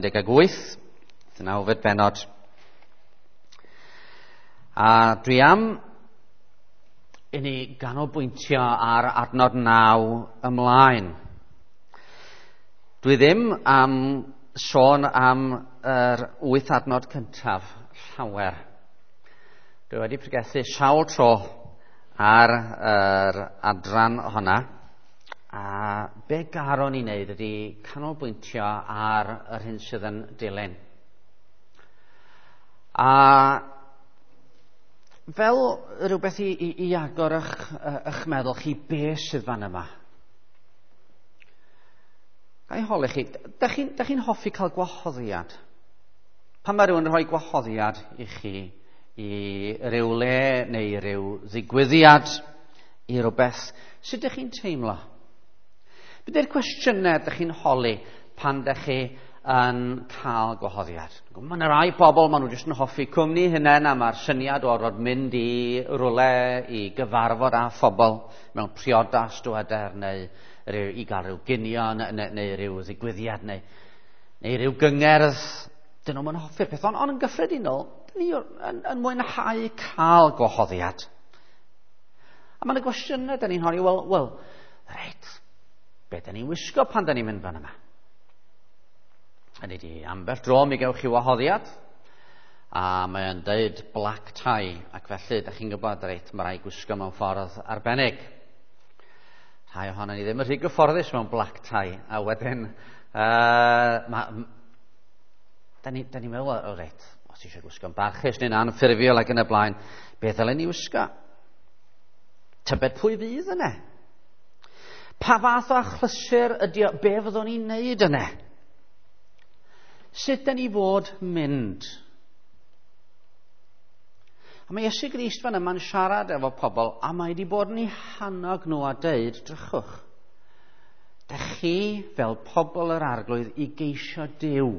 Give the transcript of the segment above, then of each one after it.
18, ddeunawfed bennod. A dwi am i ni ganolbwyntio ar adnod 9 ymlaen. Dwi ddim am sôn am yr 8 adnod cyntaf llawer. Dwi wedi pregethu sawl tro ar yr adran honna. A be garon ni wneud ydy canolbwyntio ar yr hyn sydd yn dilyn. A fel rhywbeth i agor eich meddwl chi, be sydd fan yma? Ga i holi chi, da chi'n hoffi cael gwahoddiad? Pan mae rhywun yn rhoi gwahoddiad i chi i ryw le neu ryw ddigwyddiad, i rywbeth, sut ydych chi'n teimlo? Be ydy'r cwestiynau ydych chi'n holi pan ydych chi yn cael gwahoddiad? Mae yna rai bobl, maen nhw jyst yn hoffi cwmni hunain, a mae'r syniad o orfod mynd i rywle i gyfarfod â phobl mewn priodas, dyweder, neu i gael rhyw ginio, neu rhyw ddigwyddiad, neu rhyw gyngerdd. Dyn nhw'n hoffi'r peth, ond yn gyffredinol, dyn ni yn mwynhau cael gwahoddiad. A mae yna gwestiynau dyn ni'n holi, wel, reit, be da ni'n wisgo pan da ni'n mynd fan yma? Hynny di, ambell dro mi gewch chi wahoddiad, a mae'n deud black tie, ac felly, da chi'n gwybod, reit, mae rhaid gwisgo mewn ffordd arbennig. Rhai ohono ni ddim yn rhy gyfforddus mewn black tie, a wedyn, da ni'n meddwl, o reit, os eisiau gwisgo'n barchus neu'n anffurfiol ac yn y blaen, beth ddylen ni wisgo? Tybed pwy fydd yna? Pa fath o achlysur ydy o, be fyddwn ni'n neud yna? Sut da ni fod mynd? A mae Iesu Grist fan yma'n siarad efo pobl, a mae wedi bod yn eu hannog nhw a deud, drychwch, da chi fel pobl yr Arglwydd i geisio Duw.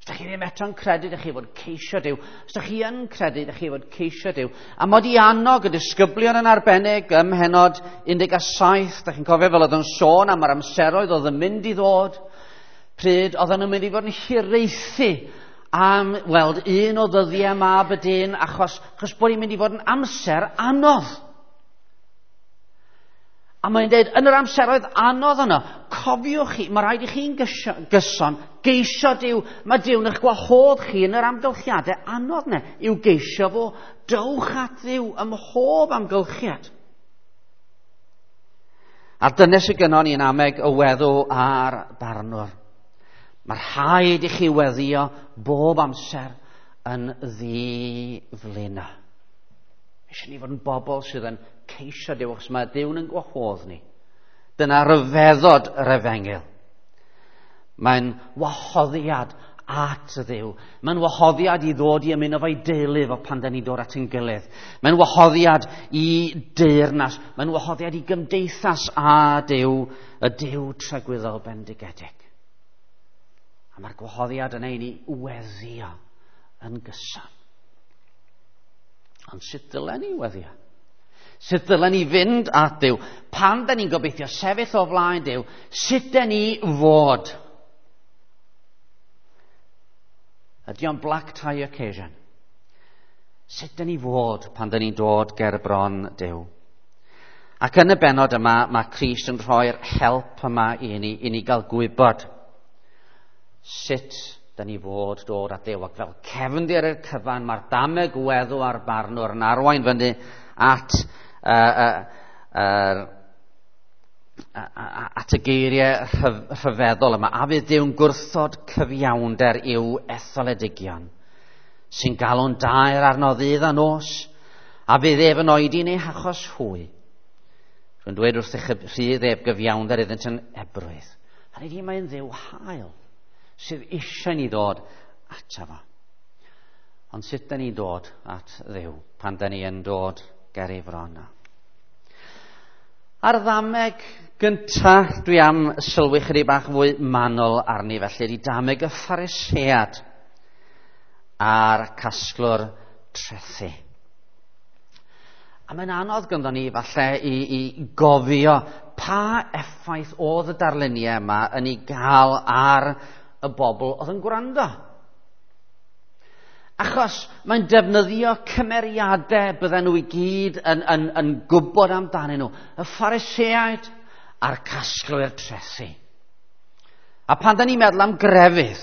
Os da chi ddim eto'n credu, da chi fod ceisio Duw. Os da chi yn credu, da chi fod ceisio Duw. A mod i annog y disgyblion yn arbennig ym mhennod 17, da chi'n cofio fel oedd yn sôn am yr amseroedd oedd yn mynd i ddod, pryd oedden nhw'n mynd i fod yn hiraethu am weld un o ddyddiau mab y dyn, achos bod hi'n mynd i fod yn amser anodd. A mae'n dweud, yn yr amseroedd anodd yno, cofiwch chi, mae rhaid i chi'n gyson geisio Duw. Mae Duw'n eich gwahodd chi yn yr amgylchiadau anodd yna i'w geisio fo. Dowch at Dduw ym mhob amgylchiad. A dyna sydd gynnon ni yn ameg y weddw a'r barnwr. Mae rhaid i chi weddio bob amser yn ddi-flino. Eisiau ni fod yn bobl sydd yn ceisio Duw, achos mae Duw'n yn gwahodd ni. Dyna ryfeddod yr efengyl. Mae'n wahoddiad at y Dduw. Mae'n wahoddiad i ddod i ymuno fo'i deulu fo pan da ni'n dod at ein gilydd. Mae'n wahoddiad i deyrnas. Mae'n wahoddiad i gymdeithas â Duw, y Duw tragwyddol bendigedig. A mae'r gwahoddiad yna i ni weddio yn gyson. Ond sut dylen ni weddio? Sut dylen ni fynd at Duw? Pan da ni'n gobeithio sefyll o flaen Duw, sut da ni fod? Ydy o'n black tie occasion? Sut da ni fod pan da ni'n dod ger bron Duw? Ac yn y bennod yma, mae Crist yn rhoi'r help yma i ni gael gwybod sut da ni fod dod at Dduw. Ac fel cefndir i'r cyfan, mae'r dameg weddw a'r barnwr yn arwain fyny at at y geiriau rhyfeddol yma. A fydd Duw'n gwrthod cyfiawnder i'w etholedigion, sy'n galw'n daer arno ddydd a nos, a fydd ef yn oedi yn eu hachos hwy. Rwy'n dweud wrthych rhydd ef gyfiawnder iddynt yn ebrwydd. Hynny ydi, mae'n Dduw hael sydd eisiau ni ddod ato fo. Ond sut da ni'n dod at Dduw pan da ni yn dod ger ei fron o? A'r ddameg gynta dwi am sylwi chydig bach fwy manwl arni felly, ydy dameg y Pharisead a'r casglwr trethi. A mae'n anodd ganddo ni falle i gofio pa effaith oedd y darluniau yma yn ei gael ar y bobl oedd yn gwrando. Achos mae'n defnyddio cymeriadau bydden nhw i gyd yn gwybod amdanyn nhw. Y Phariseaid a'r casglwyr trethi. A pan da ni'n meddwl am grefydd,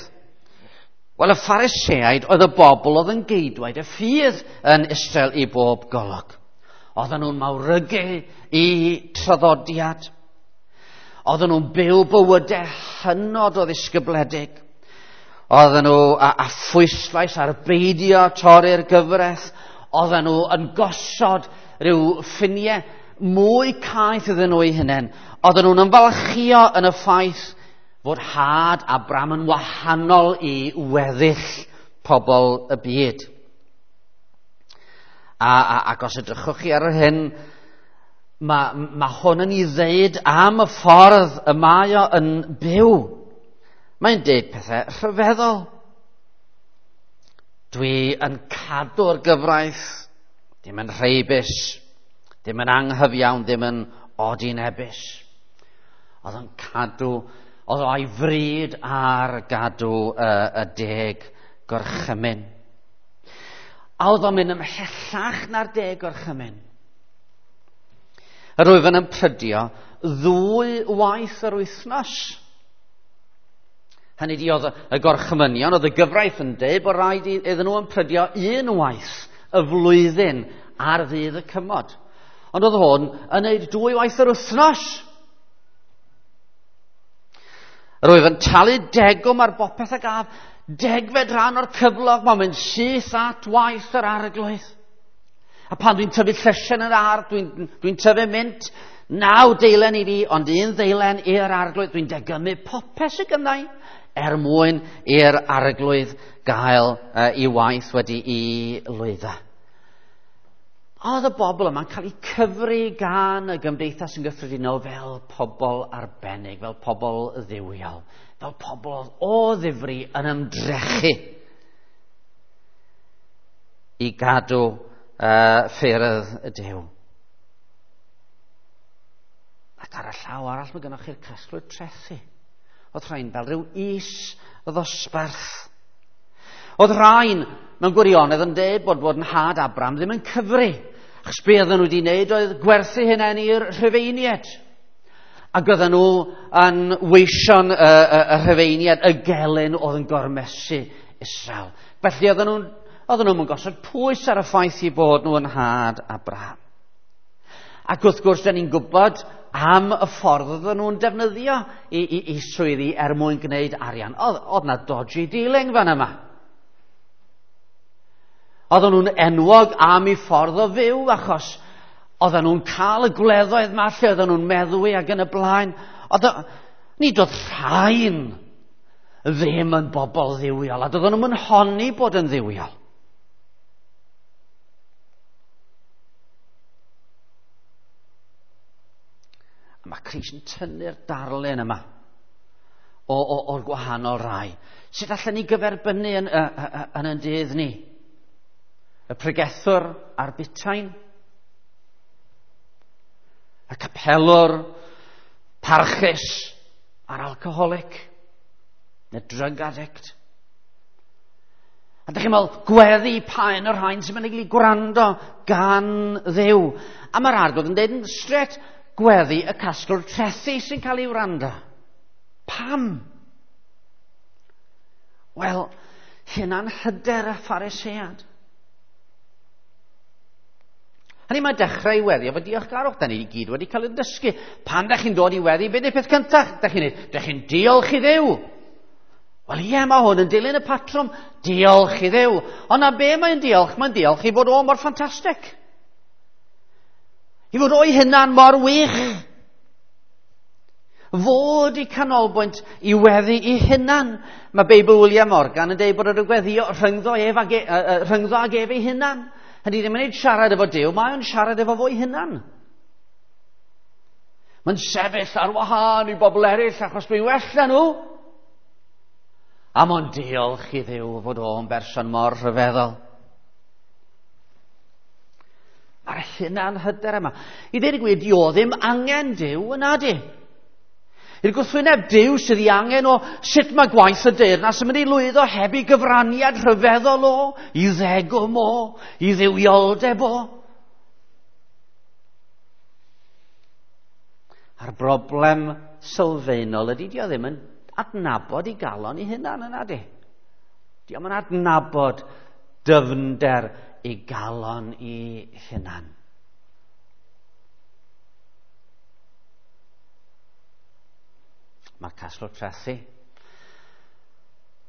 wel, y Phariseaid oedd y bobl oedd yn geidwaid y ffydd yn Israel i bob golwg. Oedden nhw'n mawrygu i traddodiad. Oedden nhw'n byw bywydau hynod o ddisgybledig. Oedden nhw a phwyslais ar beidio torri'r gyfraith. Oedden nhw yn gosod rhyw ffiniau mwy caeth iddyn nhw eu hunain. Oedden nhw'n ymfalchio yn y ffaith fod had Abraham yn wahanol i weddill pobl y byd. Ac os edrychwch chi ar yr hyn, mae hwn yn ei ddeud am y ffordd y mae o yn byw. Mae'n deud pethau rhyfeddol. Dwi yn cadw'r gyfraith, dim yn rheibus, dim yn anghyfiawn, dim yn odinebus. Oedd yn cadw, oedd o'i fryd ar gadw y 10 gorchymyn. A oedd o'n mynd ymhellach na'r 10 gorchymyn. Yr wyf yn ymprydio 2 waith yr wythnos. Hynny ydi, oedd y gorchymynion, oedd y gyfraith yn deud bod rhaid iddyn nhw ymprydio 1 waith y flwyddyn ar ddydd y cymod. Ond oedd hwn yn neud 2 waith yr wythnos. Yr wyf yn talu degwm ar bopeth a gaf, 10fed rhan o'r cyflog, mae'n mynd syth at waith yr arglwydd. A pan dwi'n tyfu llysiau yn yr ardd, dwi'n tyfu mint, 9 deilen i fi, ond 1 ddeilen i'r arglwydd. Dwi'n degymu popeth sydd gynna i er mwyn i'r arglwydd gael ei waith wedi i lwyddo. Oedd y bobl yma'n cael eu cyfri gan y gymdeithas yn gyffredinol fel pobl arbennig, fel pobl dduwiol, fel pobl o ddifri yn ymdrechu i gadw ffyrdd y Duw. Ac ar y llaw arall mae gennych chi'r casglwyr trethi. Oedd rhain fel rhyw is ddosbarth. Oedd rhain mewn gwirionedd yn deud bod yn had Abraham ddim yn cyfri. Achos be oedden nhw wedi wneud oedd gwerthu hynny i'r Rhufeiniaid. Ac oedden nhw yn weision y Rhufeiniaid, y gelyn oedd yn gormesu Israel. Felly oedden nhw'n gosod pwys ar y ffaith i bod nhw yn had Abraham. Ac wrth gwrs, da ni'n gwybod am y ffordd oedden nhw'n defnyddio i swyddi er mwyn gwneud arian. Oedd na dodgy dealing fan yma. Oedden nhw'n enwog am eu ffordd o fyw, achos oedden nhw'n cael y gwleddoedd yma lle oedden nhw'n meddwi ac yn y blaen. Nid oedd rhain ddim yn bobl dduwiol, a doedden nhw'n honni bod yn dduwiol. A mae Crist yn tynnu'r darlun yma o'r gwahanol rai. Sut allan ni gyferbynnu yn yn dydd ni? Y pregethwr a'r butain, y capelwr parchus a'r alcoholic, y drug addict. A dych chi'n meddwl, gweddi pa un o'r rhain sy'n mynd i gael ei gwrando gan Dduw. A mae'r arglwydd yn dweud yn straight, gweddi y casglwr trethi sy'n cael ei wrando. Pam? Wel, hynna'n hyder y Pharisead. Hynny mae dechrau i weddi efo diolchgarwch. Da ni i gyd wedi cael ein dysgu. Pan da chi'n dod i weddi, beth yw'r peth cyntaf? Da chi'n neud? Da chi'n diolch i Dduw. Wel ie, mae hwn yn dilyn y patrwm. Diolch i Dduw. Ond na be mae'n diolch? Mae'n diolch i fod o mor ffantastig. I fod o'i hunan mor wych. Fod i canolbwynt i weddi i hunan. Mae Beibl William Morgan yn dweud bod o'n gweddio rhyngddo ef ag rhyngddo ag ef ei hunan. Hynny ddim yn ei siarad efo Duw, mae o'n siarad efo fo'i hunan. Mae'n sefyll ar wahân i bobl eraill achos dwi'n well na nhw. A mae'n diolch i Dduw fod o'n berson mor rhyfeddol. Mae'r hunan hyder yma. I ddweud y gwir, di o ddim angen Duw yna di. I'r gwrthwyneb, Duw sydd ei angen o sut mae gwaith y deyrnas yn mynd i lwyddo heb ei gyfraniad rhyfeddol o, i ddegwm o, i dduwioldeb o. A'r broblem sylfaenol ydy, dio ddim yn adnabod ei galon ei hunan yna di. Dio yn adnabod dyfnder ei galon ei hunan. Mae'r casglwr trethi,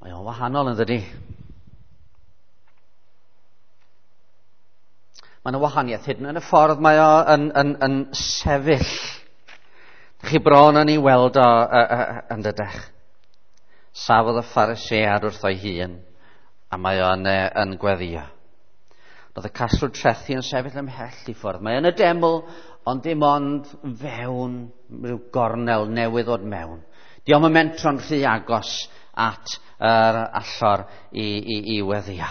mae o'n wahanol yn dydi. Mae yna wahaniaeth hyd yn y ffordd mae o yn sefyll. Chi bron yn ei weld o yn dydych. Safodd y Pharisead wrtho'i hun, a mae o'n yn gweddio. Roedd y casglwr trethi yn sefyll ymhell i ffwrdd. Mae yn y deml, ond dim ond fewn rhyw gornel newydd ddod mewn. Dio'm yn mentro'n rhy agos at yr allor i weddio.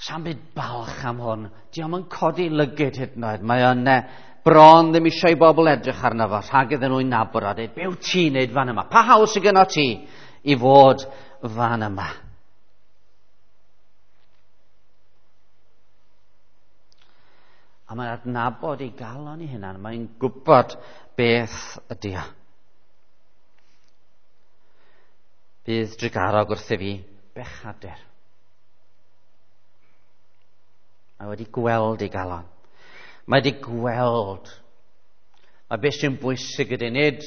Sa'm byd balch am hwn. Dio'm yn codi lygyd hyd yn oed. Mae o'n bron ddim eisiau i bobl edrych arno fo, rhag iddyn nhw'i nabod a dweud, be wyt ti'n neud fan yma? Pa hawl sydd gynno ti i fod fan yma? A mae'n adnabod ei galon ei hunan. Mae'n gwybod beth ydy o. Bydd drugarog wrth i fi bechadur. Mae wedi gweld ei galon. Mae wedi gweld. Mae beth sy'n bwysig ydy nid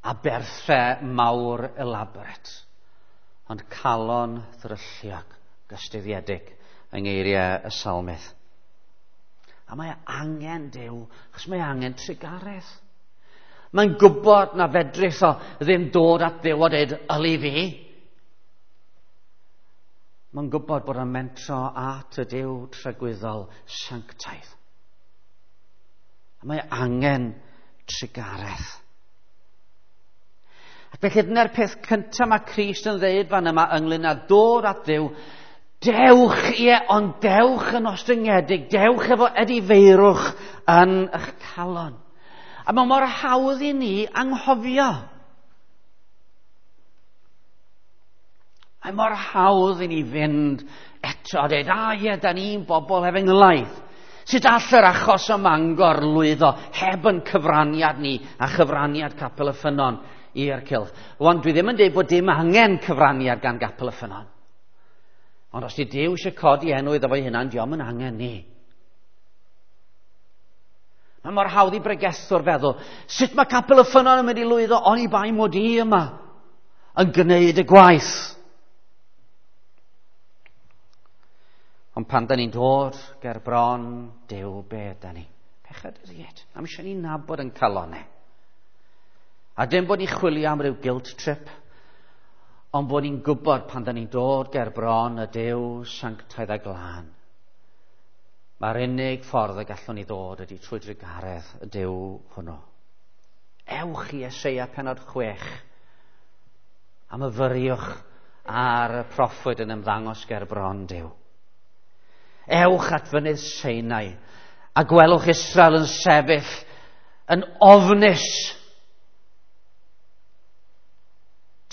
aberthau mawr elaborate, ond calon ddrylliog, gystuddiedig yng ngeiriau y salmydd. A mae angen Duw, achos mae angen trugaredd. Mae'n gwybod na fedrith o ddim dod at Dduw a dweud, yli fi. Mae'n gwybod bod o'n mentro at y Duw tragwyddol sanctaidd. A mae angen trugaredd. Ac felly dyna'r peth cyntaf mae Crist yn dweud fan yma ynglyn â dod at Dduw. Dewch, ie, ond dewch yn ostyngedig, dewch efo edifeirwch yn eich calon. A mae mor hawdd i ni anghofio. Mae mor hawdd i ni fynd eto a dweud, a ie, da ni'n bobl efengylaidd. Sut all yr achos ym Mangor lwyddo heb yn cyfraniad ni a chyfraniad Capel y Ffynnon i'r cylch? Rwan, dwi ddim yn dweud bod dim angen cyfraniad gan Gapel y Ffynnon. Ond os di Duw eisiau codi enw iddo fo'i hunan, dio'm yn angen ni. Mae mor hawdd i bregethwr feddwl, sut mae Capel y Ffynnon yn mynd i lwyddo oni bai mod i yma yn gwneud y gwaith? Ond pan da ni'n dod ger bron Duw, be da ni? Pechaduriaid. Am eisiau ni nabod yn calonau. A dim bod ni'n chwilio am ryw guilt trip, ond bod ni'n gwybod pan da ni'n dod ger bron y Duw sanctaidd a glân. Mae'r unig ffordd y gallwn ni ddod ydy trwy drugaredd y Duw hwnnw. Ewch i Eseia pennod 6 a myfyriwch ar y proffwyd yn ymddangos ger bron Duw. Ewch at fynydd Sinai a gwelwch Israel yn sefyll yn ofnus.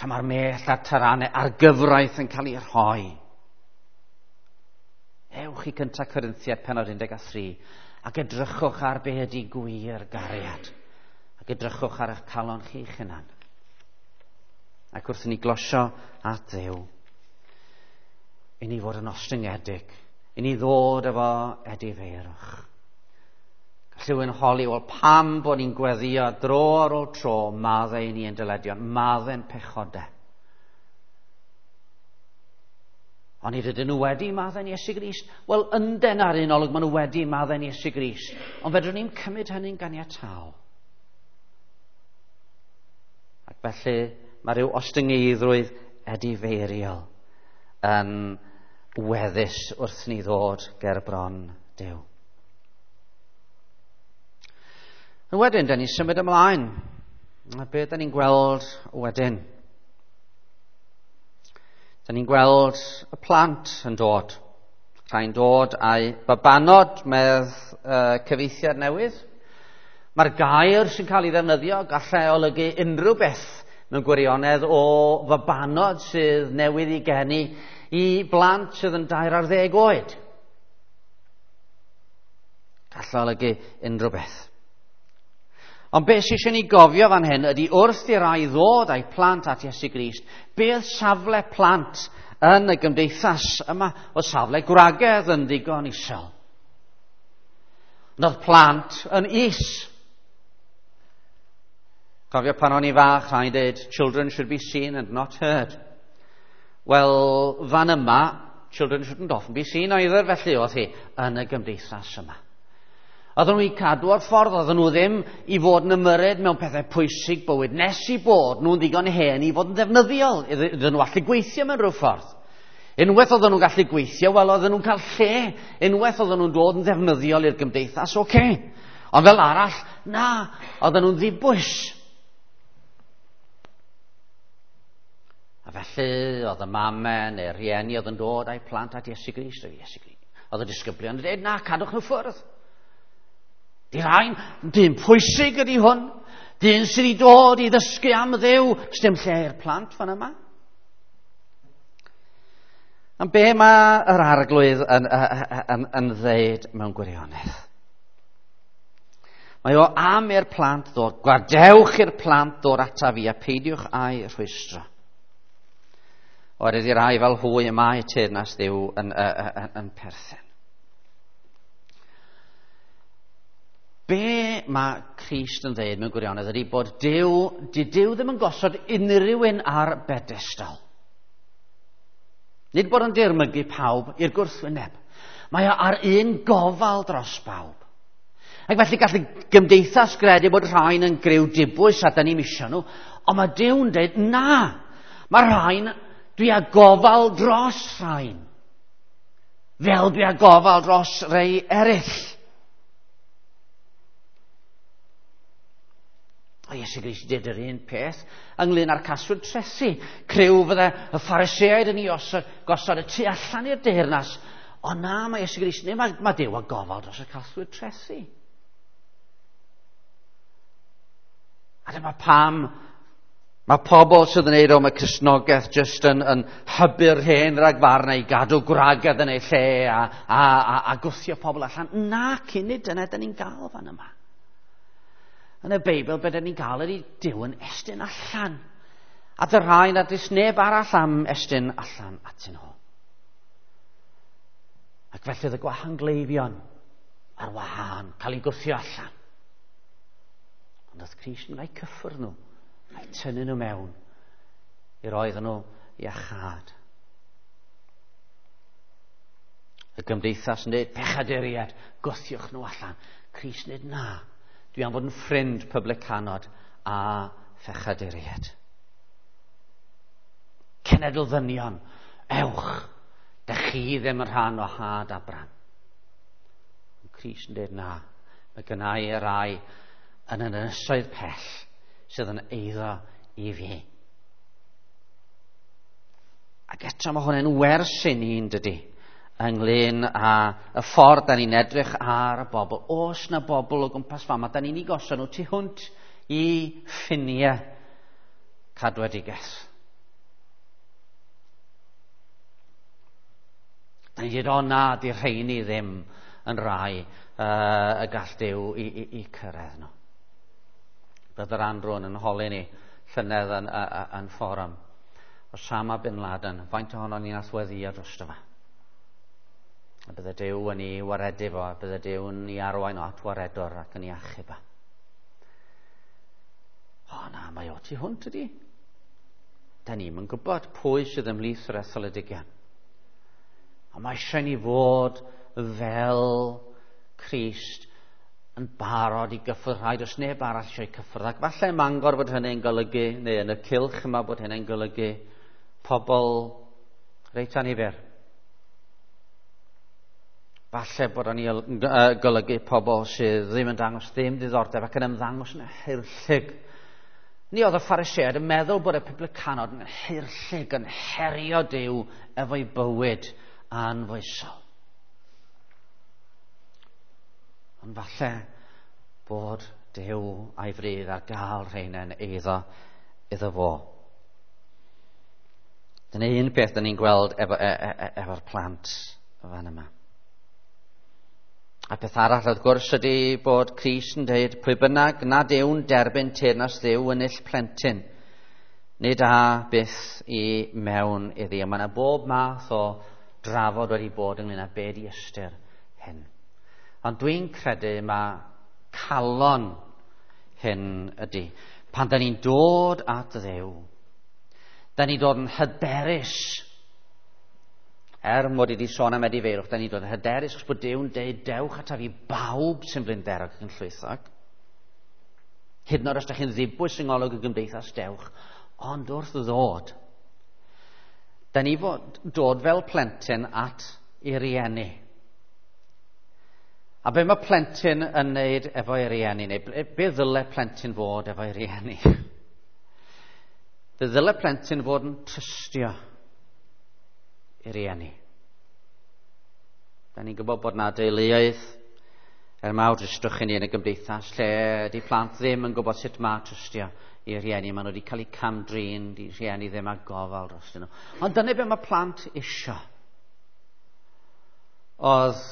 Tra mae'r mell a'r taranau a'r gyfraith yn cael ei rhoi. Ewch i 1 Corinthiaid pennod 13 ac edrychwch ar be ydy gwir gariad. Ac edrychwch ar eich calon chi'ch hunan. Ac wrth i ni glosio at Dduw, i ni fod yn ostyngedig, i ni ddod efo edifeirwch. Gall rhywun holi, wel pam bod ni'n gweddio dro ar ôl tro, maddau i ni yn dyledion, maddau'n pechodau. Ond nid ydyn nhw wedi maddau'n Iesu Grist. Wel, ynden ar un olwg, maen nhw wedi maddau'n Iesu Grist. Ond fedrwn ni'n cymryd hynny'n ganiataol. Ac felly mae rhyw ostyngeiddrwydd edifeiriol yn weddus wrth ni ddod ger bron Duw. A wedyn, da ni'n symud ymlaen. A be da ni'n gweld wedyn? Da ni'n gweld y plant yn dod. Rhai'n dod a'u babanod, medd cyfieithiad newydd. Mae'r gair sy'n cael ei ddefnyddio gallai olygu unrhyw beth mewn gwirionedd o fabanod sydd newydd i geni i blant sydd yn 13 oed. Gallai olygu unrhyw beth. Ond beth sydd eisiau ni gofio fan hyn ydy wrth i rai ddod â'u plant at Iesu Grist, beth safle plant yn y gymdeithas yma o safle gwragedd yn ddigon isel. Ond oedd plant yn is. Cofio pan o'n i fach, rhaid dweud, children should be seen and not heard. Wel, fan yma, children shouldn't often be seen either, felly oedd hi yn y gymdeithas yma. Oedden nhw i cadw o'r ffordd, oedden nhw ddim i fod yn ymyrryd mewn pethau pwysig bywyd, nes i bod nhw'n ddigon hen i fod yn ddefnyddiol, iddyn nhw allu gweithio mewn rhyw ffordd. Unwaith oedden nhw'n gallu gweithio, wel oedden nhw'n cael lle. Unwaith oedden nhw'n dod yn ddefnyddiol i'r gymdeithas, oce. Okay. Ond fel arall, na, oedden nhw'n ddibwys. A felly oedd y mamau neu'r rhieni oedd yn dod â'u plant at Iesu Grist. Iesu Grist. Oedd y disgyblion yn dweud, na, cadwch nhw ffwrdd. Di rhain, dyn pwysig ydy hwn. Dyn sydd wedi dod i ddysgu am Dduw. Sdim lle i'r plant fan yma. Ond be mae yr arglwydd yn, yn, yn, yn ddeud mewn gwirionedd? Mae o am i'r plant ddod. Gwadewch i'r plant ddod ata fi a peidiwch â'i rhwystro. Oherwydd i rai fel hwy y mae teyrnas Dduw yn, yn, yn, yn perthyn. Be mae Crist yn dweud mewn gwirionedd ydy bod Duw, di Duw ddim yn gosod unrhyw un ar bedestal. Nid bod yn dirmygu pawb i'r gwrthwyneb. Mae o ar un gofal dros bawb. Ac felly gall y gymdeithas gredu bod rhain yn griw dibwys a da ni'n misio nhw, ond mae Duw'n dweud, na, mae rhain, dwi â gofal dros rhain. Fel dwi â gofal dros rei eraill. A Iesu Grist did yr un peth ynglyn â'r caswyd trethi. Criw fydde y Phariseaid yn ei osod, gosod y tu allan i'r deyrnas. Ond na, mae Iesu Grist, neu mae, mae Duw â gofal dros y caswyd trethi. A dyma pam mae pobl sydd yn ei mae Cristnogaeth jyst yn, yn hybu'r hen ragfarnau i gadw gwragedd yn ei lle a, a, a, a gwthio pobl allan. Na, cyn i dyna dyn ni'n gael fan yma. Yn y Beibl, be dyn ni'n gael ydy Duw yn estyn allan. A dy rhai nad oes neb arall am estyn allan atyn nhw. Ac felly oedd y gwahangleifion ar wahân, cael eu gwthio allan. Ond oedd Crist yn rhoi cyffwrdd nhw, a'i tynnu nhw mewn, i roedd nhw iachâd. Y gymdeithas yn dweud, pechaduriaid, gwthiwch nhw allan. Crist yn dweud, na, dwi am fod yn ffrind publicanod a phechaduriaid. Cenedl ddynion, ewch, dych chi ddim yn rhan o had Abraham. Ond Crist yn dweud, na, mae gennau y rai yn yr ynysoedd pell sydd yn eiddo i fi. Ac eto mae hwn yn wers i ni'n dydy, ynglyn â y ffordd da ni'n edrych ar y bobl. Oes na bobl o gwmpas fama, da ni'n ei gosod nhw tu hwnt i ffiniau cadwedigaeth. Da ni'n dweud, o na, di rheini ddim yn rai y gall Duw i, i, i cyrraedd nhw. Bydd yr Andrwn yn holi ni llynedd yn, yn, yn fforwm. Osama Bin Laden, faint ohono ni'n athweddio drosto fe? A bydde Duw yn ei waredu fo, a bydde Duw yn ei arwain o at waredwr ac yn ei achub o. O na, mae o tu hwnt ydi. Da ni'm yn gwybod pwy sydd ymhlith yr etholedigion. Ond mae eisiau ni fod fel Crist yn barod i gyffwrdd rhaid os neb arall eisiau cyffwrdd. Ac falle ym Mangor bod hynny'n golygu, neu yn y cylch yma bod hynny'n golygu pobl reit anifyr. Falle bod o'n golygu pobl sydd ddim yn dangos ddim diddordeb ac yn ymddangos yn haerllug. Ni oedd y Phariseaid yn meddwl bod y publicanod yn haerllug, yn herio Duw efo'i bywyd anfoesol. Ond falle bod Duw a'i fryd ar gael rheina'n eiddo iddo fo. Dyna un peth da ni'n gweld efo'r plant fan yma. A peth arall wrth gwrs ydy bod Crist yn dweud pwy bynnag nad yw'n derbyn teyrnas Dduw yn ill plentyn, nid a byth i mewn iddi. A mae yna bob math o drafod wedi bod ynglyn â be di ystyr hyn. Ond dwi'n credu mae calon hyn ydy. Pan da ni'n dod at Dduw, da ni'n dod yn hyderus. Er mod i wedi sôn am edifeirwch, da ni'n dod yn hyderus achos bod Duw'n deud dewch ataf i bawb sy'n blinderog ac yn llwythog. Hyd yn oed os da chi'n ddibwys yng ngolwg y gymdeithas, dewch. Ond wrth ddod, da ni fod dod fel plentyn at ei rieni. A be mae plentyn yn neud efo'i rieni, neu be ddyle plentyn fod efo'i rieni? Fe ddyle plentyn fod yn trystio i rieni. Da ni'n gwybod bod na deuluoedd er mawr dristwch i ni yn y gymdeithas lle di plant ddim yn gwybod sut mae trystio i rieni. Maen nhw wedi cael eu cam-drin, di rhieni ddim â gofal dros nhw. Ond dyna be mae plant isio. Oedd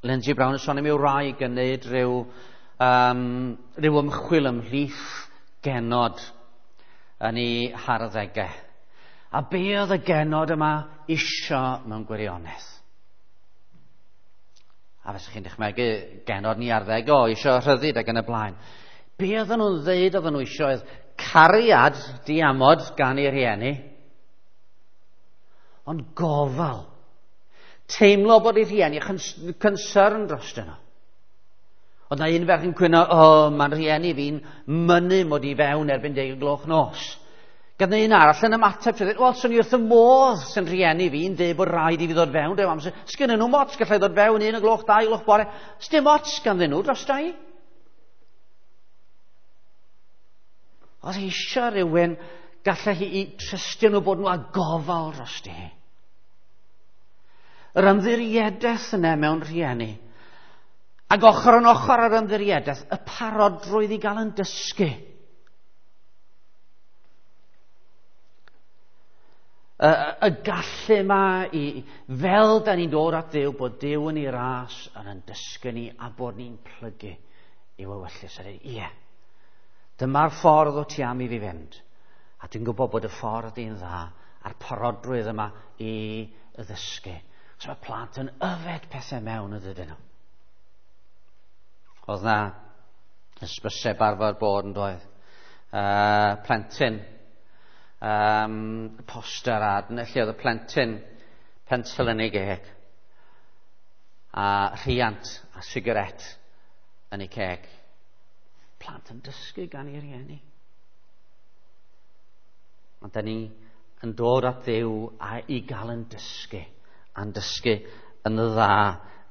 Lindsay Brown yn sôn am ei wraig yn neud rhyw ymchwil ymhlith genod yn ei harddegau. A be oedd y genod yma isio mewn gwirionedd? A fysych chi'n dychmygu genod ni arddegau, o, isio rhyddid ac yn y blaen. Be oedden nhw'n ddeud oedden nhw isio oedd cariad diamod gan ei rhieni, ond gofal. Teimlo bod ei rhieni concern dros nhw. Oedd na un ferch yn cwyno, o, mae'n rhieni fi'n mynnu mod i fewn erbyn 10 gloch nos. Gan un arall yn ymateb, wel, swn i wrth y modd sy'n rhieni fi'n dweud bod rhaid i fi ddod fewn. Rhyw amser. Sgynny nhw mots, gallai ddod fewn 1 gloch, 2 gloch bore. Sdim ots ganddyn nhw dros i. Oedd eisiau rhywun gallai hi i trystio nhw bod nhw â gofal dros hi. Yr ymddiriedaeth yna mewn rhieni. Ac ochr yn ochr ar ymddiriedaeth, y parodrwydd i gael yn dysgu. Y gallu yma i, fel da ni'n dod at Dduw, bod Duw yn ei ras yn dysgu ni a bod ni'n plygu i'w ewyllys. A dweud, ie, dyma'r ffordd o ti am i fi fynd. A dwi'n gwybod bod y ffordd i'n dda a'r parodrwydd yma i ddysgu. So mae plant yn yfed pethau mewn ydyn nhw. Oedd na hysbyseb arfer bod yn doedd. Plentyn, poster ad, lle oedd y plentyn pensel yn ei geg a rhiant a sigaret yn ei ceg. Plant yn dysgu gan ei rieni. Ond da ni yn dod at Dduw a i gael yn dysgu, a'n dysgu yn dda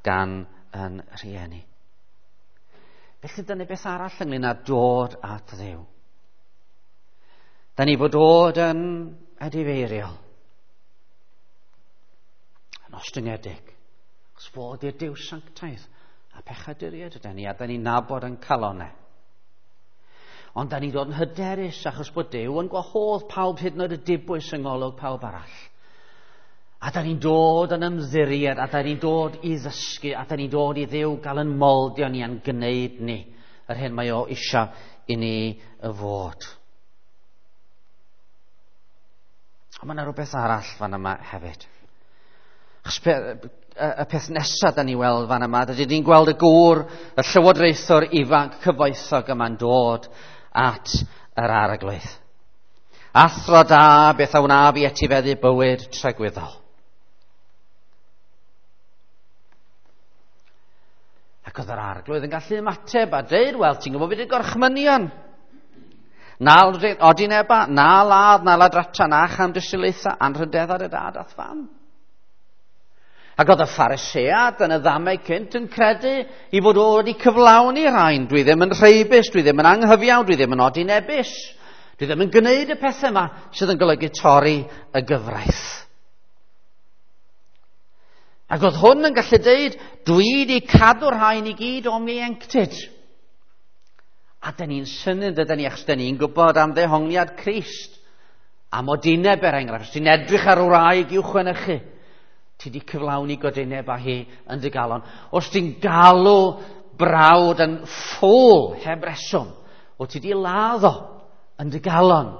gan yn rhieni. Felly dyna beth arall ynglyn â dod at Dduw. Da ni fod dod yn edifeiriol, yn ostyngedig, achos fod i'r Duw sanctaidd a pechaduriaid ydy ni, a da ni'n nabod yn calonau. Ond da ni'n dod yn hyderus achos bod Duw yn gwahodd pawb hyd yn oed y dibwys yng ngolwg pawb arall. A da ni'n dod yn ymddiried, a da ni'n dod i ddysgu, a da ni'n dod i Dduw gael yn moldio ni a'n gwneud ni yr hyn mae o isio i ni fod. Ond mae yna rhywbeth arall fan yma hefyd. Achos y peth nesaf da ni weld fan yma, dydy ni'n gweld y gŵr, y llywodraethwr ifanc cyfoethog yma'n dod at yr arglwydd. Athro da, beth a wnaf i etifeddu bywyd tragwyddol. Ac oedd yr arglwydd yn gallu ymateb a dweud, wel, ti'n gwybod beth yw'r gorchmynion? Na odineba, na ladd, na ladrata, na chamdrisilaetha, anrhydedda dy dad a'th fam. Ac oedd y Pharisead yn y ddamau cynt yn credu i fod o wedi cyflawni rhain. Dwi ddim yn rheibus, dwi ddim yn anghyfiawn, dwi ddim yn odinebus. Dwi ddim yn gwneud y pethau yma sydd yn golygu torri y gyfraith. Ac oedd hwn yn gallu deud, dwi wedi cadw'r rhain i gyd o'm ieuenctid. A dyn ni'n synnu, dydyn ni, achos dyn ni'n gwybod am ddehongliad Crist. Am odineb, er enghraifft. Os ti'n edrych ar wraig i'w chwenychu, ti wedi cyflawni godineb â hi yn dy galon. Os ti'n galw brawd yn ffôl heb reswm, o ti wedi ladd o yn dy galon.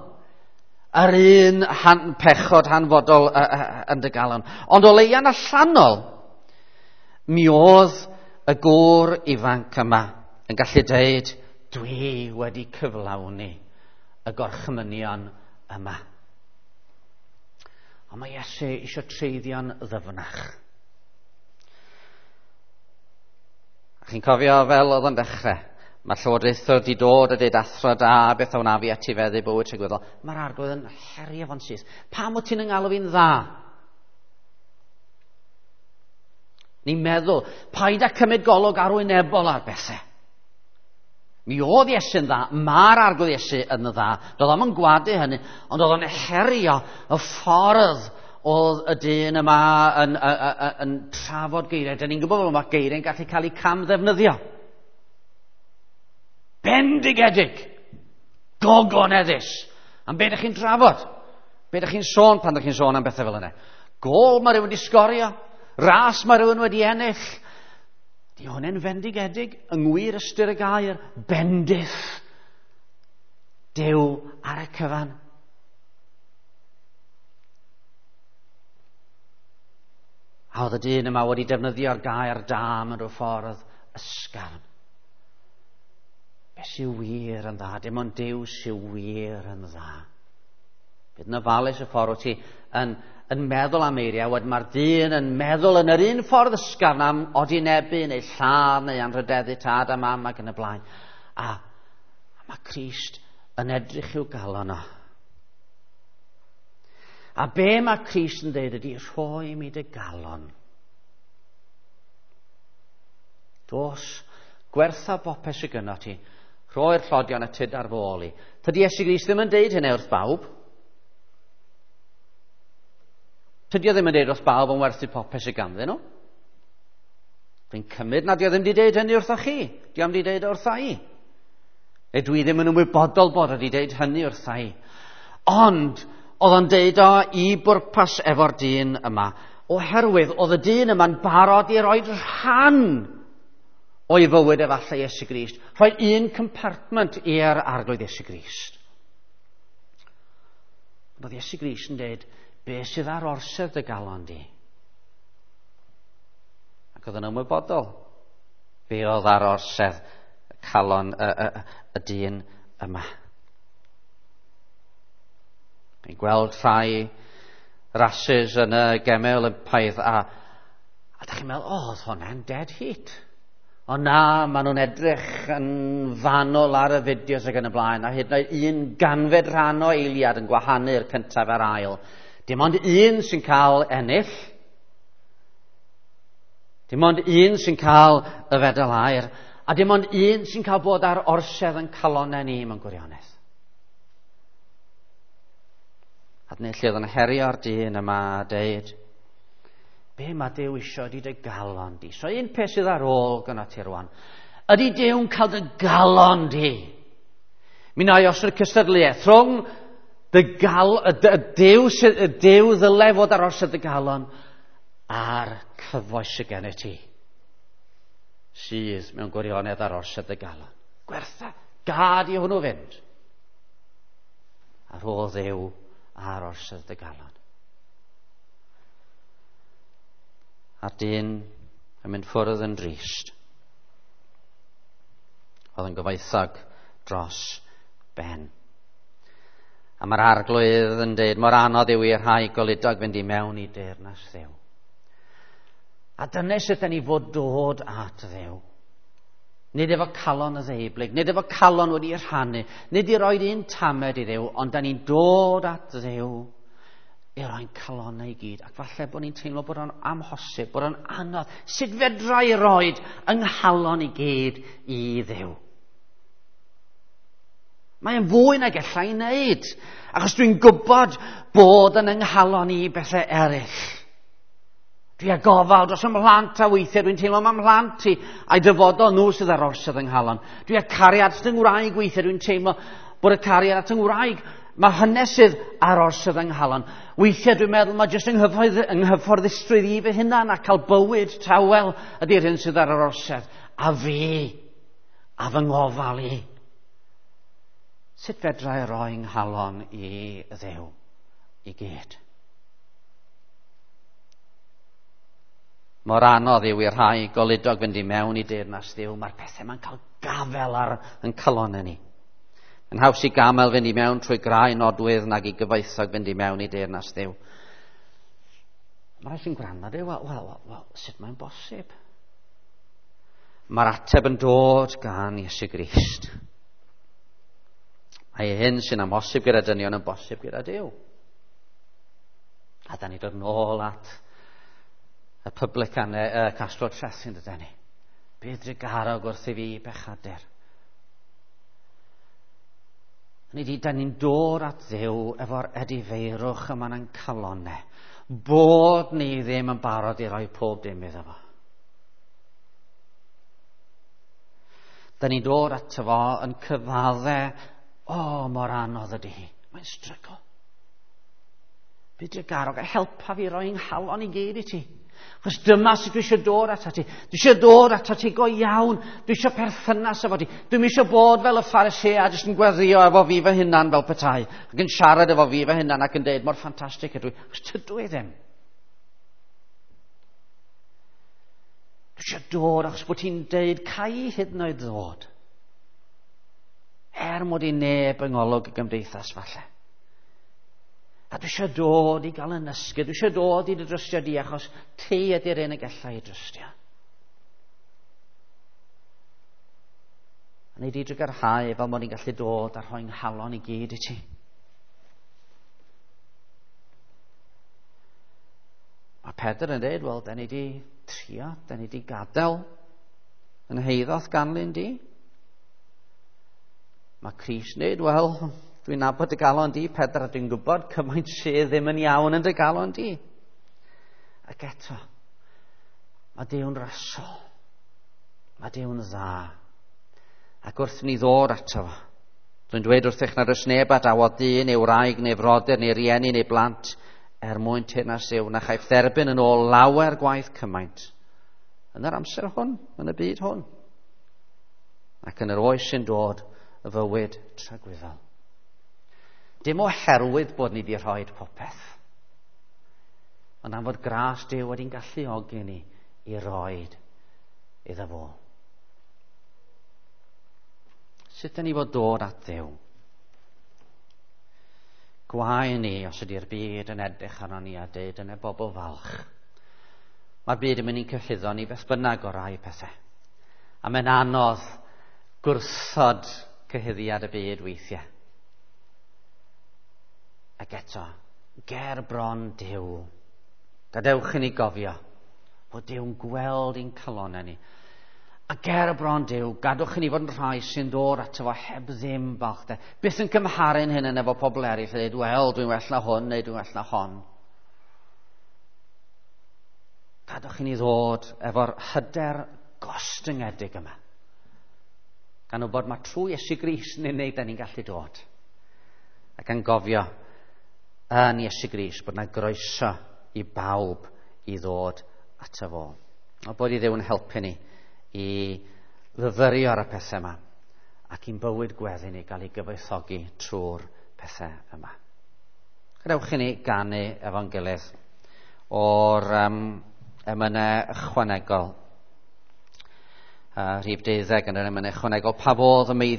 Yr un pechod hanfodol yn dy galon. Ond o leia'n allanol, mi oedd y gŵr ifanc yma yn gallu deud, dwi wedi cyflawni y gorchmynion yma. Ond mae Iesu eisiau treiddio'n ddyfnach. A chi'n cofio fel oedd yn dechrau, mae'r llywodraethwr wedi dod a dweud athro da, beth a wna fi etifeddu bywyd tragwyddol. Mae'r arglwydd yn herio fo'n syth. Pam wyt ti'n yngalw fi'n dda? Ni'n meddwl, paid â cymryd golwg arwynebol ar bethau. Mi oedd Iesu'n dda, mae'r arglwydd Iesu yn dda. Doedd o'm yn gwadu hynny, ond oedd o'n herio y ffordd oedd y dyn yma yn trafod geiriau. Dyn ni'n gwybod bod mae geiriau'n gallu cael eu camddefnyddio. Bendigedig, gogoneddus. Am be ydych chi'n trafod? Be ydych chi'n sôn pan ydych chi'n sôn am bethau fel yna? Gôl mae rhywun wedi sgorio, ras mae rhywun wedi ennill. Di hwnna'n fendigedig yng ngwir ystyr y gair, bendith Duw ar y cyfan. A oedd y dyn yma wedi defnyddio'r gair da mewn rhyw ffordd ysgafn. Be sy'n wir yn dda? Dim ond Duw sy'n wir yn dda. Bydd yn ofalus y ffordd wyt ti yn meddwl am eiriau, wedyn mae'r dyn yn meddwl yn yr un ffordd ysgafn am odinebu neu lladd neu anrhydeddu tad a mam ac yn y blaen. A mae Crist yn edrych i'w galon o. A be mae Crist yn dweud ydy, rhoi mi dy galon. Dos, gwertha bopeth sydd gynno ti, rhoi'r tlodion a tyd ar fy ôl i. Tydi Iesu Grist ddim yn deud hynny wrth bawb. Tydi o ddim yn deud wrth bawb yn werthu popeth sydd ganddyn nhw. Dwi'n cymryd nad o ddim wedi deud hynny wrtho chi. Di o'm wedi deud wrtha i. Neu dwi ddim yn ymwybodol bod wedi deud hynny wrtha i. Ond oedd o'n deud o i bwrpas efo'r dyn yma, oherwydd oedd y dyn yma'n barod i roi rhan o'i fywyd efallai Iesu Grist, rhoi un compartment i'r arglwydd Iesu Grist. Ond oedd Iesu Grist yn deud, be sydd ar orsedd dy galon di? Ac oedd yn ymwybodol be oedd ar orsedd calon y dyn yma. Ni'n gweld rhai rasys yn y Gemau Olympaidd a da chi'n meddwl, o, oedd hwnna'n dead heat. Ond na, maen nhw'n edrych yn fanwl ar y fideos ac yn y blaen, a hyd yn oed un ganfed rhan o eiliad yn gwahanu'r cyntaf a'r ail. Dim ond un sy'n cael ennill. Dim ond un sy'n cael y fedal aur. A dim ond un sy'n cael bod ar orsedd yn calonau ni mewn gwirionedd. A dyna lle oedd yn herio'r dyn yma a deud, be mae Duw isio ydy dy galon di? So un peth sydd ar ôl gyda ti rwan, ydy Duw'n cael dy galon di? Mi na i osod cystadleuaeth rhwng dy gal, y Duw, y Duw ddyle fod ar orsedd dy galon a'r cyfoes sydd gen i ti, sydd mewn gwirionedd ar orsedd dy galon. Gwertha, gad i hwnnw fynd. A rho Dduw ar orsedd dy galon. A'r dyn yn mynd ffwrdd yn drist. Oedd yn gyfoethog dros ben. A mae'r arglwydd yn dweud, mor anodd yw i'r rhai goludog fynd i mewn i deyrnas Dduw. A dyna sut ni fod dod at Dduw. Nid efo calon y ddeublyg, nid efo calon wedi rhannu, nid i roed un tamed i Dduw, ond da ni'n dod at Dduw i roi'n calonau i gyd. Ac falle bod ni'n teimlo bod o'n amhosib, bod o'n anodd. Sut fedra i roed yng nghalon i gyd i Dduw? Mae'n fwy nag ella i wneud, achos dwi'n gwybod bod yn yng nghalon i bethau eraill. Dwi â gofal dros 'y mhlant, a weithiau dwi'n teimlo ma' mhlant i a'i dyfodol nhw sydd ar orsedd yng nghalon. Dwi â cariad at 'y ngwraig, weithiau dwi'n teimlo bod y cariad at 'y ngwraig, mae hynny sydd ar orsedd yng nghalon. Weithiau dwi'n meddwl mae jyst yng nghyfforddusrwydd i fy hunan a cael bywyd tawel ydy'r hyn sydd ar yr orsedd. A fi, a fy ngofal i. Sut fedra i roi nghalon i Dduw i gyd? Mor anodd yw i'r rhai goludog fynd i mewn i deyrnas Dduw. Mae'r pethau ma'n cael gafel ar yn calonnau ni. Yn haws i gamel fynd i mewn trwy grau nodwydd nag i gyfoethog fynd i mewn i deyrnas Dduw. Mae rhai sy'n gwrando a dweud, wel, sut mae'n bosib? Mae'r ateb yn dod gan Iesu Grist. Mae hyn sy'n amhosib gyda dynion yn bosib gyda Duw. A da ni dod nôl at y publican, y casglwr trethi, dyda ni. Bydd drugarog wrth i fi bechadur. Hynny ydi, da ni'n dod at Dduw efo'r edifeirwch yma yn calonnau. Bod ni ddim yn barod i roi pob dim iddo fo. Da ni'n dod ato fo yn cyfadde, o, mor anodd ydy hi. Mae'n strygl. Bydd drugarog a helpa fi roi nghalon i gyd i ti. Chos dyma sut dwi eisiau dod atat ti. Dwi eisiau dod atat ti go iawn. Dwi eisiau perthynas efo ti. Dwi'm eisiau bod fel y Pharisea jyst yn gweddio efo fi fy hunan fel petai. Ac yn siarad efo fi fy hunan ac yn deud mor ffantastig ydw i. Chos tydw i ddim. Dwi eisiau dod achos bod ti'n deud cai hyd yn oed ddod. Er mod i neb yng ngolwg y gymdeithas falle. A dwi eisiau dod i gael yn ysgu, dwi eisiau dod i dy drystio di achos ti ydy'r un y gallai i drystio. A nei di drugarhau fel mod i'n gallu dod a rhoi nghalon i gyd i ti. Mae Pedr yn dweud, wel, da ni di trio, da ni di gadael yn heiddoth ganlyn di. Mae Crist yn dweud, wel, dwi'n nabod dy galon di, Pedr, a dwi'n gwybod cymaint sydd ddim yn iawn yn dy galon di. Ac eto, mae Duw'n rasol. Mae Duw'n dda. Ac wrth ni ddod ato fo, dwi'n dweud wrthych nad oes neb a dawodd dyn neu wraig neu frodyr neu rieni neu blant er mwyn teyrnas Duw na chaiff dderbyn yn ôl lawer gwaith cymaint yn yr amser hwn, yn y byd hwn, ac yn yr oes sy'n dod y fywyd tragwyddol. Dim oherwydd bod ni wedi rhoi popeth, ond am fod gras Duw wedi'n galluogi ni i roed iddo fo. Sut ydyn ni fod dod at Dduw? Gwae ni os ydy'r byd yn edrych arno ni a deud yn y bobl falch. Mae'r byd yn mynd i'n cyhuddo ni beth bynnag o rai pethau. A mae'n anodd gwrthod cyhuddiad y byd weithiau. Ac eto, ger bron Duw. Gadewch i ni gofio bod Duw'n gweld i'n calonnau ni. A ger bron Duw, gadwch i ni fod yn rhai sy'n dod ato fo heb ddim balchder. Byth yn cymharu'n hyn efo pobl eraill a dweud, wel, dwi'n well na hwn neu dwi'n well na hon. Gadwch i ni ddod efo'r hyder gostyngedig yma. Gan wybod mae trwy Iesu Grist yn unig da ni'n gallu dod. Ac yn gofio yn Iesu Grist bod yna groeso i bawb i ddod ato fo. A bod i Dduw yn helpu ni i fyfyrio ar y pethau yma ac i'n bywyd gweddi ni gael ei gyfoethogi trwy'r pethau yma. Gadewch i ni ganu efo'n gilydd o'r emynau ychwanegol. Rhif 12 yn yr emynau ychwanegol. Pa fodd y meiddi